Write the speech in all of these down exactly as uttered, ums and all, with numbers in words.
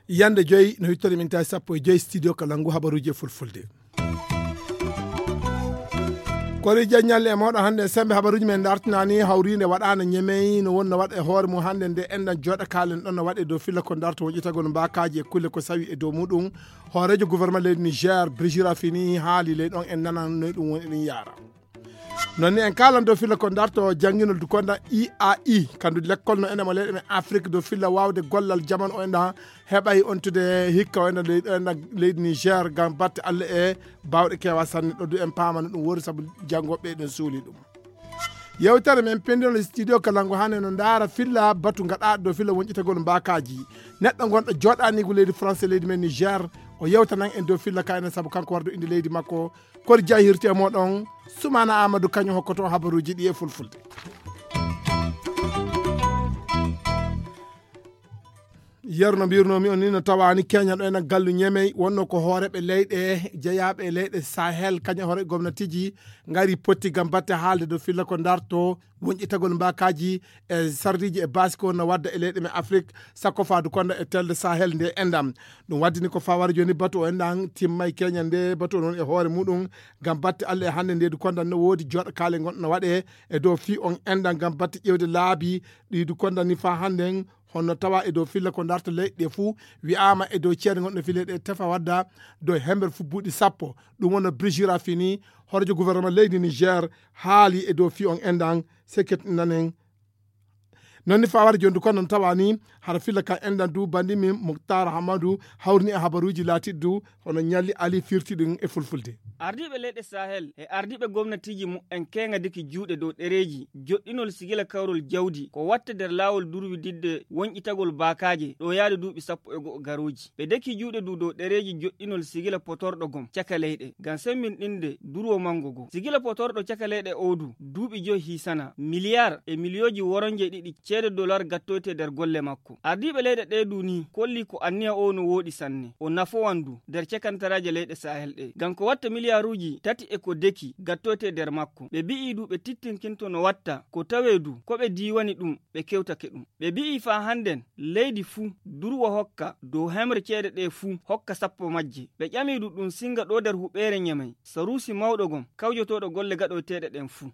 Yande joyi no hittori min tawi sappo e joyi studio Kalangu habaruji e fulfulde. Kori jaññalle e moɗo hannde sembe habaruji men dartinani hawrinde waɗana ñemey no wonno waɗa e hoore mum hannde nde enɗan joɗa kalen ɗon no waɗe dow filla ko darto woƴitagol mbakaji e kulle ko sawi e dow muɗum. Hoorejo gouvernement leydi Niger Brigitte Raffini haali ley ɗon en nanan noy ɗum woni ɗum yara. Noon ni en kaalan dow filla ko darto jannginol dukonda I A I, kandu lekkol no ene mo leyɗe men Afrique dow filla waawde gollal jaman o enɗa heɓay ontude hikka o enɗa leydi, enɗa leydi Niger ngam batte Allah e baawɗe kewa sanne ɗo du en paamano ɗum wori sabu janngoɓe ɗen suuli ɗum. Yewtere men pendinol e studio Kalangu hannde no ndaara filla batu gaɗaaɗo dow filla wonƴitagol mbakaji. Neɗɗo gonɗo joɗanigu leydi France e leydi men Niger o yewtanan en dow filla ka enen sabu kanko wardo inde leydi makko. Kori jahirte moɗon Sumana Amadou kañum hokkoto habaruji ɗi e fulfulde. Yeru no mbirnomi on ni no tawani Kenya ɗo ena gallu ñemey wonno ko hooreɓe leyɗe jeyaaɓe e leyɗe Sahel kañum hoore gomnatiji ngari potti gam batte haalde dow filla ko darto wonƴitagol mbakaji e sarɗiji e basi ko no wadda e leyɗe men Afrique sakko faadu konda e telde Sahel nde endam. Ɗum waddini ko fawara joni batu o enɗan timmay Kenya nde batu o noon e hoore muɗum gam batte Allah e hannde nde du konda no woodi joɗa kaale gonɗo no waɗe e dow fi on enɗan gam batte ƴewde laabi ɗi du konda ni fa hannden. Honno tawa e dow filla ko darta leyɗe ɗe fuu wi'aama e dow ceede gonɗe fii leyɗe tefa wadda dow hember fuu buuɗi sappo. Ɗum wonno Brigitte Raffini, hoorejo gouvernement leydi Niger, haali e dow fii on enɗan. Seket nanen. Noon ni fawara jooni du kono noon tawa ni hara filla ka enɗan du bandi min Muktar Hamadu hawrini e habaruuji laatiɗi du hono ñalli ali firti ɗum e fulfulde. Ardiiɓe leyɗe Sahel e ardiiɓe gomnatiiji mu'en keeŋa deki juuɗe dow ɗereeji joɗɗinol sigila kawrol jawdi ko watta nder laawol durwididde wonƴitagol baakaaje ɗo yaade duuɓi sappo e go'o garooji. Ɓe deki juuɗe du dow ɗereeji joɗɗinol sigila potorɗo gom caka leyɗe ngam sembinɗinde durwo manngo go. Sigila potorɗo caka leyɗe oo du duuɓi joy hiisana miliyaar e miliyooji woronje ɗiɗi ceede dolar gattoyte nder golle makko. Ardiiɓe leyɗe ɗee du ni kolli ko anniya oo no wooɗi sanne. O nafowan du nder cekantaraaje leyɗe Sahel ɗee. Ngam ko watta miliyaaruuji tati e ko deki gattoyte nder makko. Ɓe bi'ii du ɓe tittinkinto no watta ko tawee du ko ɓe diiwani ɗum ɓe kewtake ɗum. Ɓe bi'ii faa hannden leydi fuu durwa hokka dow hemre ceede ɗee fuu hokka sappo majje. Ɓe ƴamii du ɗum sinnga ɗoo nder huɓeere Ñemey, saruusi mawɗo gom kawjotooɗo golle gaɗoyteeɗe ɗen fuu.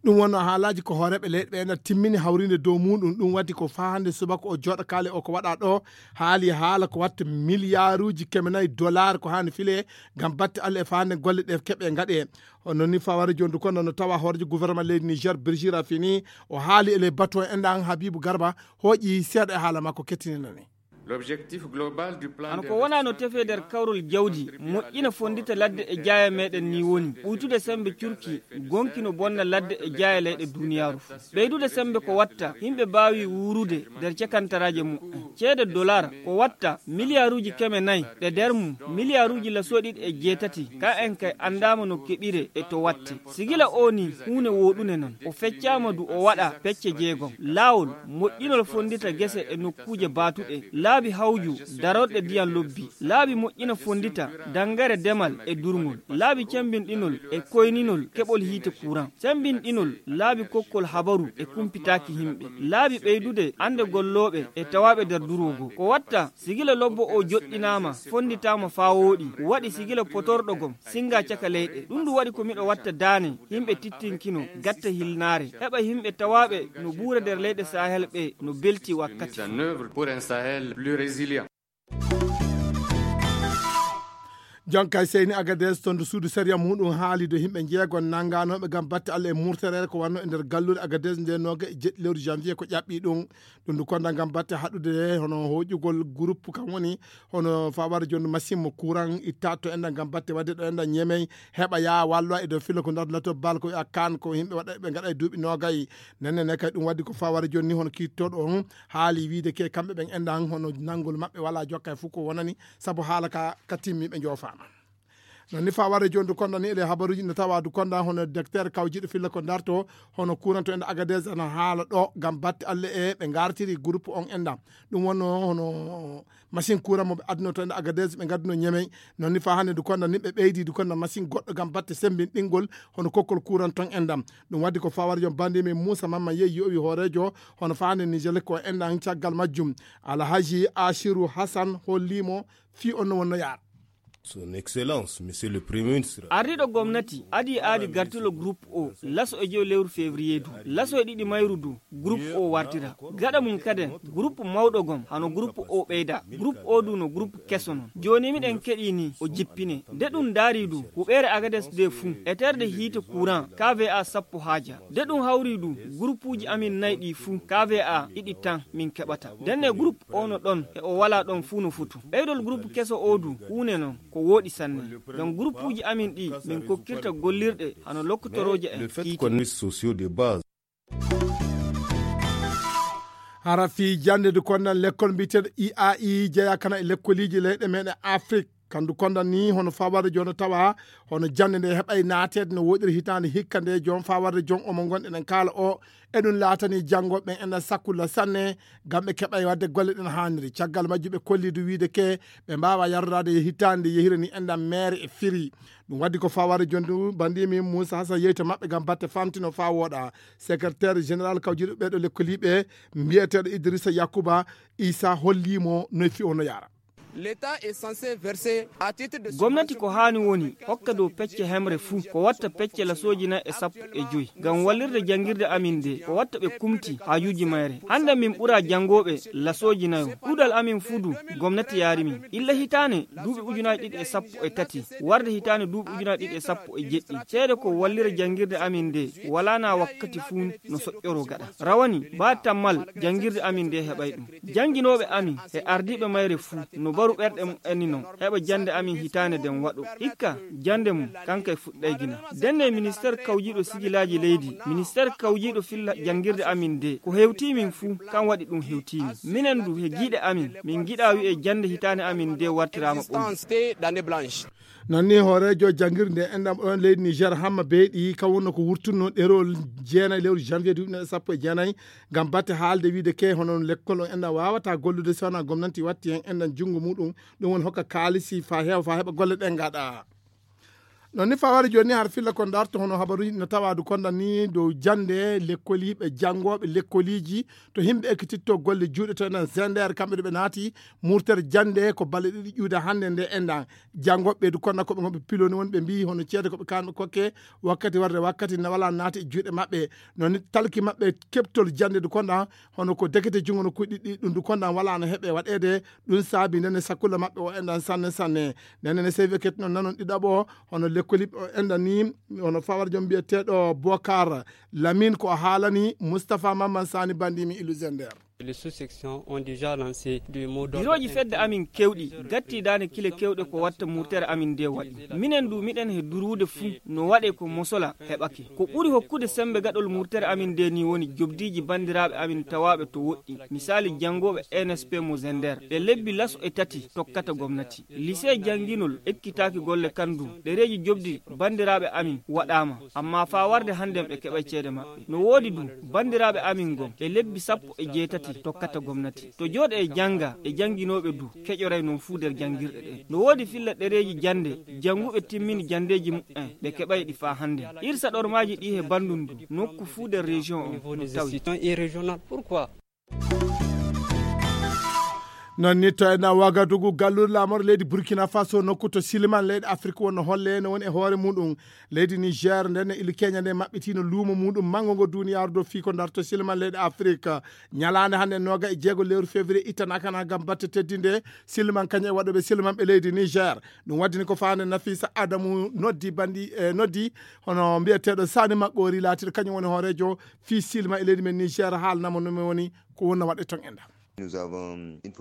Ɗum wonno haalaaji ko hooreeɓe leyɗe ɓe ena timmini hawriinde dow muuɗum. Ɗum waɗi ko faa hannde subaka o jooɗo kaale o ko waɗa ɗo haali haala ko watta miliyaaruuji keme nayi dolaar ko haani file ngam batte Allah e faa hannde golle ɗe keɓe ngaɗe. Hono ni fawara jooni du kono no tawa hooreejo gouvernement leydi Niger Birjira fini o haali e ley batu o enɗan Habibu Garba hooƴi seeɗa e haala makko kettininani. L'objectif global du plan Hano ko wonaa no tefee nder kawrol jawdi moƴƴina fonndita ladde e jaaya meɗen ni woni ɓuytude semmbe curki gonki no bonna ladde e jaaya leyɗe duniyaaru fuu. Ɓeydude semmbe ko watta yimɓe mbaawi wuurude nder cekantaraaje mu'en. Ceede dolar ko watta miliyaaruuji keme nayi ɗe nder mum miliyaaruuji lasoɗiɗi e jeetati ka en kay anndaama no keɓire e to watte. Sigila o ni huune wooɗune non. O feccaama du o waɗa pecce jeegom. Laawol, moƴƴinol fonndita gese e nokkuuje baatuɗe. Laabi hawju, darorɗe ndiyam lobbi. Laabi moƴƴina fonndita, danngare demal e durngol. Laabi cemmbinɗinol e koyninol keɓol hiite kuran. Cemmbinɗinol, laabi kokkol habaru e kumpitaaki yimɓe. Laabi ɓeydude annde gollooɓe e tawaaɓe nder duroogo. Ko watta, sigila lobbo o joɗɗinaama, fonnditaama faa wooɗi. Waɗi sigila potorɗo gom, sinnga caka leyɗe. Ɗum ndu waɗi ko miɗo watta daane, yimɓe tittinkino, gatta hilnaare. Heɓa yimɓe tawaaɓe no buura nder leyɗe Sahel ɓe no belti wakkati. Mise en œuvre pour un Sahel plus résilient. Jonkay seyni Agadez toon to suudu sariya muɗum haali do yimɓe jeegon nannganooɓe ngam batte Allah e murterere ko wanno e nder galluure Agadez nde nooga e jeɗɗi lewru janvier ko ƴaɓɓi ɗum. Ɗum ndu konda ngam batte haɗude hono hoƴugol groupe kam woni hono fawar jonde machine mo courant itta to enɗan ngam batte wadde ɗo enɗan ñemey heɓa yaa wallo e dow filo ko nder lato bal ko wi'a kan ko yimɓe waɗa ɓe ngaɗa e duuɓi noogay. Nenne ne kay ɗum waddi ko fawar jonni hono kiittoɗo on haali wiide ke kamɓe ɓen enɗan hono nanngol maɓɓe wala jokka e fof ko wonani sabu haala ka ka timmi ɓe joofaama. Non ni faa warde jooni du konda ni ele habaruuji no tawa du konda hono docteur kawjiiɗo filla ko darto hono kuuranto en Agadez ana haala ɗo ngam batte alle e ɓe ngartiri groupe on enɗam. Ɗum wonno hono machine courant mo ɓe adduno to en Agadez ɓe ngadduno Ñemey. Non ni faa hannde du konda ni ɓe ɓeydi du konda machine goɗɗo ngam batte sembinɗingol hono kokkol courant ton enɗam. Ɗum waddi ko faa warde jooni bandi min Muusa Mamma Yeyi yowi hooreejo hono faa hannde Niger ko enɗam caggal majjum. Alhaji Ashiru Hassan hollimo fii on no wonno yaara. Son Excellence, Monsieur le Premier Ministre. Ardiiɗo gomnati adii aadi gartilo groupe o laso e joyi lewru février du. Laso e ɗiɗi mayru du groupe o wartira. Gaɗa mum kaden groupe mawɗo gom hano groupe o ɓeyda. Groupe o du no groupe keso non. Jooni miɗen keɗii ni o jippine. De ɗum daarii du huɓeere Agades de fuu. Eterde hiite courant K V A sappo haaja. De ɗum hawrii du groupuuji amin nay ɗii fuu K V A ɗiɗi tan min keɓata. Denne groupe o no ɗon e o walaa ɗon fuu no fotu. Ɓeydol groupe keso o du huune non. Ko wooɗi sanne. Ngam groupuuji amin ɗi min kokkirta gollirɗe hano lokkotorooje en. Hara fii jannde du kondan lekkol mbiyeteeɗo I A I jeyaa kana e lekkoliiji leyɗe meɗen Afrik. Kandu kondan ni hono faa warde jooni tawa hono jannde nde heɓay naateede no woɗiri hitaande hikka nde joon faa warde joon omo ngonɗen en kaala o. Eɗum laatani janngooɓe ɓen enɗan sakkulla sanne ngam ɓe keɓay waɗde golle ɗen haaniri. Caggal majjum ɓe kolli du wiide ke ɓe mbaawa yardoraade e hitaande yehire ni enɗan meere e firi. Ɗum waddi ko faa warde jooni du bandi min Muusa Hasan yeyto maɓɓe ngam batte famtino faa wooɗa. Secrétaire général kawjiiɗo ɓeeɗo lekkoliiɓe mbiyeteeɗo Idrissa Yakuba Isa holliimo noy fii o no yaara. Gomnati ko haani woni hokka dow pecce hemre fuu ko watta pecce lasooji nay e sappo e joyi ngam wallirde janngirde amin nde ko watta ɓe kumti haajuuji mayre. Hannde min ɓuraa janngooɓe lasooji nayo. Ɗuuɗal amin fuu du gomnati yaari min. Illa hitaane duuɓi ujunaaji ɗiɗi e sappo e tati warde hitaane duuɓi ujunaaji ɗiɗi e sappo e jeɗɗi ceede ko wallira janngirde amin nde walaa naa wakkati fuu no soƴƴoroo gaɗa. Rawani baa tammal janngirde amin nde heɓay ɗum. Jannginooɓe amin e ardiiɓe mayre fuu no baru ɓerɗe mum en non heɓa jannde amin hitaande nden waɗo. Hikka jannde mum kankay fuɗɗay gina. Denne ministeer kawjiiɗo sigilaaji leydi, ministeer kawjiiɗo filla janngirde amin nde ko hewtii min fuu kan waɗi ɗum hewtii min. Minen du he giiɗe amin min ngiɗaa wi'e jannde hitaande amin nde wartiraama ɓolum. Non ni hooreejo janngirde enɗam ɗon leydi Niger Hamma Beyɗi kan wonno ko wurtunno ɗerol jeenay lewru janvier duuɓi sappo e jeenay ngam batte haalde wiide ke hono lekkol on enɗam waawata gollude so wonaa gomnanti watti heen enɗam junngo muɗum. Ɗum woni hokka kaalisi faa heewa faa heɓa golle ɗen ngaɗa. Non ni faa wari jooni har filla ko darto hono habaruuji no tawa du konda ni dow jannde lekkoliiɓe janngooɓe lekkoliiji to himɓe ekkititto golle juuɗe to enen zender kamɓe ɗo ɓe naati murtere jannde ko balle ɗiɗi ƴuude hannde nde enɗan. Janngooɓe ɓeydu konda ko ɓe ngonɓe piloni woni ɓe mbii hono ceede ko ɓe kanɓe kokke wakkati warde wakkati na wala naati e juuɗe maɓɓe. Non ni talki maɓɓe keɓtol jannde du konda hono ko dekete junngo no kuɗi ɗi ɗum du konda wala no heɓe waɗeede. Ɗum saabi ndene sakkulla maɓɓe o enɗan sanne sanne. Ndene ne sewi ekketino nanon ɗiɗaɓo hono lekkoliɓe o enɗan ni hono fawar joom mbiyeteeɗo Bokar Lamin ko o haalani Mustapha Mamman Sani bandimi ilu zender. Birooji fedde amin kewɗi gatti daane kile kewɗe ko watta murtere amin nde waɗi. Minen du miɗen he duruude fuu no waɗe ko mosola heɓake. Ko ɓuri hokkude sembe gaɗol murtere amin nde ni woni jobdiiji bandiraaɓe amin tawaaɓe to woɗɗi. Misaali janngooɓe N S P mo Zender ɓe lebbi laso e tati tokkata gomnati. Lycée jannginol ekkitaaki golle kan du. Ɗereeji jobdi bandiraaɓe amin waɗaama. Amma faa warde hannden ɓe keɓay ceede maɓɓe. No woodi du bandiraaɓe amin gom e lebbi sappo e jeetati tokkata gomnati. To jooɗe e jannga e jannginooɓe du keƴoray non fuu nder janngirɗe ɗen. No woodi filla ɗereeji jannde jannguɓe timmini janndeeji muɓɓen ɓe keɓay ɗi faa hannden. Irsa ɗormaaji ɗi he banndum du nokku fuu nder région on no tawi. Non ni to ena Wagadugu galluure laamorde leydi Burkina Faso nokku to Siliman leyɗe Afrik wonno holle no woni e hoore muɗum. Leydi Niger nden e ili Kenya nde maɓɓitino luumo muɗum manngo ngo duniyaaru dow fii ko darto Siliman leyɗe Afrik. Ñalaande hannde nooga e jeego lewru février ittanaaka na ngam batte teddinde Siliman kañum e waɗooɓe Siliman ɓe leydi Niger. Ɗum waddini ko faande Nafisa Adamu noddi bandi e noddi hono mbiyeteeɗo Sani Maɓɓoori laatiiɗo kañum woni hooreejo fii Siliman e leydi men Niger haalnamo no mi woni ko wonna waɗe ton e nda.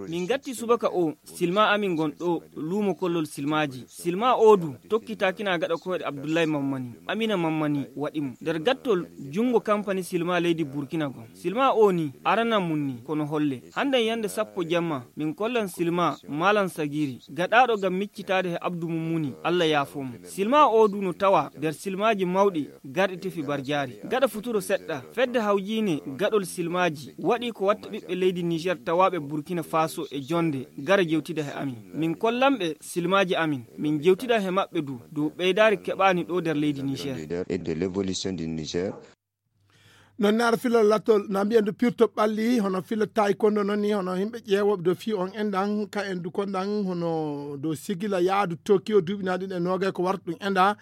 Min gatti subaka o silma amin gon ɗo luumo kollol silmaaji. Silma o du tokkitaakina gaɗa koyɗe Abdullahi Mammani, Amina Mammani waɗi mo. Nder gattol junngo kampani silma leydi Burkina gon. Silma o ni arana mum ni kono holle. Hannden yannde sappo jamma min kollan silma Malam Sagiri gaɗaaɗo ngam miccitaade he abdu mum muni, Allah yaafo mo. Silma o du no tawa nder silmaaji mawɗi garɗi tefi barjaari. Gaɗa futuro seɗɗa, fedde hawjiine gaɗol silmaaji waɗi ko watta ɓiɓɓe leydi Niger tawaaɓe Burkina Faso e jonde gara jewtida he amin. Min kollan ɓe silmaaji amin, min jewtida he maɓɓe du dow ɓeydaari keɓaani ɗo nder leydi Niger. Et de l'évolution du Niger. Non naara fila lattol na mbiyen du pirto ɓalli hono fila taekwondo non ni hono yimɓe ƴeewooɓe dow fii on enɗan ka en du konɗan hono dow sigila yaadu Tokyo duuɓi na ɗin e noogay ko warta ɗum enɗa.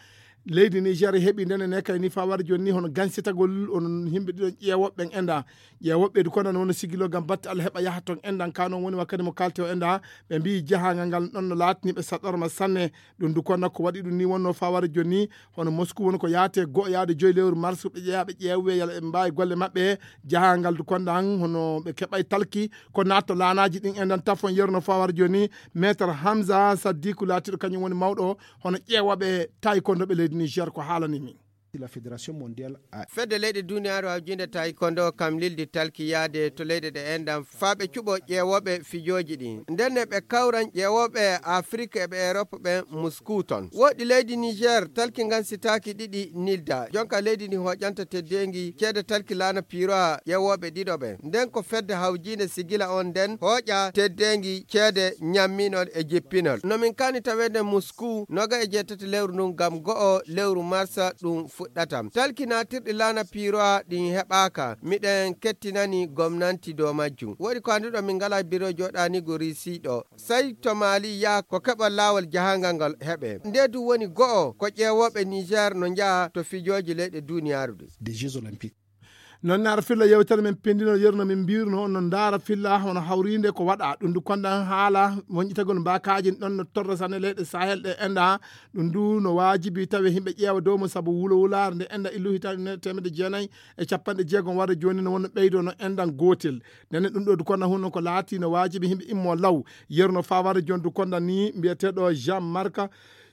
Leydi Niger heɓi ndene ne kay ni faa wara jooni ni hono gansitagol on yimɓe ɗiɗon ƴeewooɓe ɓen enɗa. Ƴeewooɓe du konɗan wona sigilo ngam batte Allah heɓa yaha ton enɗan ka non woni wakkati mo kalti o enɗa. Ɓe mbiyi jahaangal ngal ɗon no laatani ɓe saɗorma sanne. Ɗum du konɗan ko waɗi ɗum ni wonno faa wara jooni ni hono Moscou woni ko yaate go'o yaade joyi lewru mars ɓe ƴeewa ɓe ƴeewe yala ɓe mbaawi golle maɓɓe. Jahaangal du konɗan hono ɓe keɓay talki ko naatto laanaaji ɗin enɗan tafon yeru no faa wara jooni ni. Maître Hamza Saddiku laatiiɗo kañum woni mawɗo hono ƴeewooɓe taekwondo ɓe leydi Niger ko haalani min. La fédération mondiale a fedde leyɗe duniyaaru hawjinde taekwondo kam lildi talki yaade to leyɗe ɗe enɗan faa ɓe cuɓo ƴeewooɓe fijooji ɗin. Ndenne ɓe kawran ƴeewooɓe Afrik e ɓe Erop ɓen Moscou ton. Woɗɗi leydi Niger talki ngan sitaaki ɗiɗi nilda. Jonka leydi ndi hooƴanta teddeengi ceede talki laana piirowa ƴeewooɓe ɗiɗo ɓen. Nden ko fedde hawjiinde sigila on nden hooƴa teddeengi ceede ñamminol e jippinol. No min kaani taweede Moscou noga e jeetati lewru ndun ngam go'o lewru marsa ɗum fuɗɗata. Talki naatirɗi laana piirowa ɗin heɓaaka. Miɗen kettinani gomnanti dow majjum. Woɗi ko annduɗo min ngalaa biro jooɗaaniigu Risi ɗo. Sey to Mali yaha ko keɓal laawol jahangal ngal heɓe. Nde du woni go'o ko ƴeewooɓe Niger no njaha to fijooji leyɗe duniyaaru ɗi. Des Jeux Olympiques. Non naara filla yewtere men pindino yerno min mbirno on no ndaara filla hono hawrinde ko waɗa ɗum du kondan haala wonƴitagol mbakaji ɗon no torra sane leyɗe Sahel ɗe enɗa. Ɗum du no waajibi tawi yimɓe ƴeewa dow mum sabu wulo wulaare nde enɗa illu hitaande ujunere temedde jeenayi e capanɗe jeegom warde jooni no wonno ɓeydo no enɗan gootel. Ndenne ɗum ɗo du kondan hunno ko laati no waajibi yimɓe immo law. Yerno faa warde jooni du kondan ni mbiyeteeɗo Jean Marc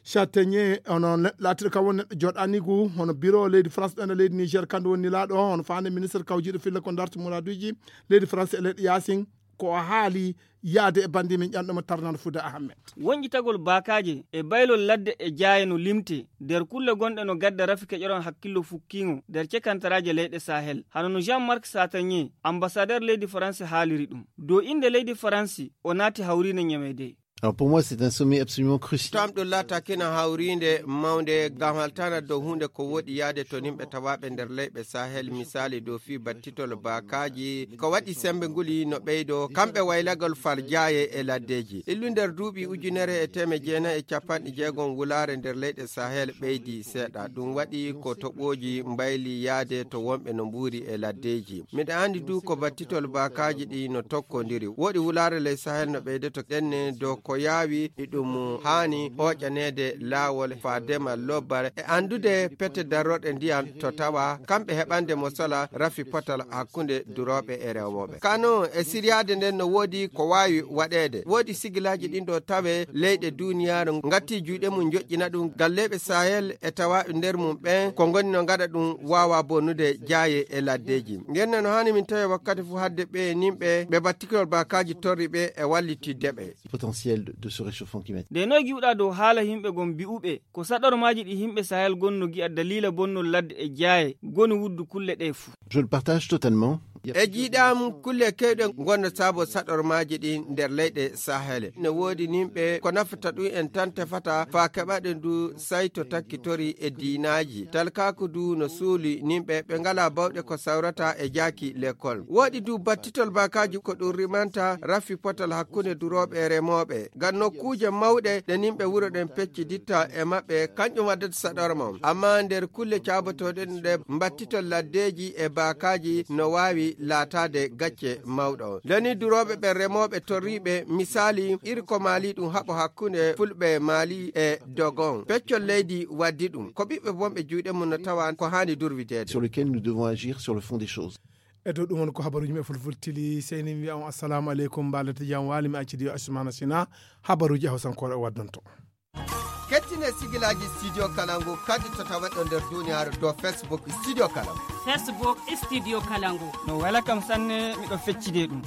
Châtaignier, hono neɗɗo laatiiɗo kam woni neɗɗo jooɗaaniigu hono biro leydi France ɗo ene leydi Niger, kandu woni nilaaɗo hono faande ministre kawjiiɗo filla ko darti muraduuji leydi France e leyɗe yaasin. Ko o haali yaade e banndi min ƴanɗo mo tarnano Fuuda Ahmed. Wonƴitagol baakaaje e baylol ladde e jaaye no limte nder kulle gonɗe no gadda rafi keƴoran hakkillo fukkiingo nder cekantaraaje leyɗe Sahel, hano no Jean Marc Châtaignier, ambassadeur leydi France haaliri ɗum. Dow innde leydi France o naati hawriinde ñameede. Alors pour moi, c'est un sommet absolument crucial. To am ɗum laataaki no hawriinde mawnde ngam haltaana dow huunde ko woɗi yaade to nimɓe tawaaɓe nder leyɓe Sahel, misaali dow fii battitol baakaaji, ko waɗi semmbe nguli no ɓeydo, kamɓe waylagol farjaaye e laddeeji. Illu nder duuɓi ujunere e teemedde jeenayi e capanɗe jeegom wulaare nder leyɗe Sahel ɓeydi seeɗa. Ɗum waɗi ko toɓooji mbayli yaade to wonɓe no mbuuri e laddeeji. Miɗa anndi du ko battitol baakaaji ɗi no tokkondiri. Woɗi wulaare ley Sahel no ɓeydoto ɗenne dow ko yaawi iɗum haani hooƴaneede laawol faadema lobbal e anndude pete darorɗe ndiyam to tawa kamɓe heɓande mo sola rafi potal hakkunde durooɓe e rewooɓe. Kano e siryaade nden no woodi ko waawi waɗeede. Woodi sigilaaji ɗin ɗo tawe leyɗe duuniyaaru ngatti juuɗe mum njoƴƴina ɗum. Galleeɓe Sahel e tawaaɓe nder mum ɓen ko ngoni no ngaɗa ɗum waawa bonnude jaaye e laddeeji. Ngenne no haani min tawi wakkati fof hadde ɓe nimɓe ɓe battikol baakaaji torri ɓe e wallitidde ɓe. Potentiel de, de ce réchauffement climatique. Nde noy giwɗa dow haala yimɓe gon mbi'uɓe ko saɗormaaji ɗi yimɓe Sahel gon no gi'a daliila bonnol ladde e jaaye goni wuddu kulle ɗe fuu? Je le partage totalement. E jiiɗam kulle kewɗe ngonno saabo saɗormaaji ɗin nder leyɗe Sahel. Ne woodi nimɓe ko nafata ɗum en tan tefata faa keɓaɗen du sayto takkitori e diinaaji. Talkaaku du no suuli nimɓe ɓe ngalaa bawɗe ko sawrata e jaaki lekkol. Woodi du battitol baakaaji ko ɗum rimanta rafi potal hakkunde durooɓe e remooɓe. Ngam nokkuuje mawɗe ɗe nimɓe wuro ɗen pecciditta e maɓɓe, kanƴum waddata saɗorma. Ammaa nder kulle caabotooɗe ɗe mbattitol laddeeji e baakaaji no waawi laataade gacce mawɗo. Ndeni durooɓe ɓe remooɓe torriiɓe, misaali, iri ko Maali ɗum haɓo hakkunde fulɓe Maali e Dogon. Peccol leydi waddi ɗum. Ko ɓiɓɓe bonɓe juuɗe mum no tawa ko haani durwideede. Sur lequel nous devons agir sur le fond des choses. E dow ɗum won ko habaruuji men fulfultili, sey ni mi wiya on assalamu aleykum, mbaalete jam waali, mi accidi yo Asumana Sina, habaruuji e hawsankoore o waddonto. Kettine sigilaaji Studio Kalangu kadi to taweɗo nder duniyaaru dow Facebook Studio Kalangu. Facebook Studio Kalangu. No wela kam sanne, miɗo feccide ɗum.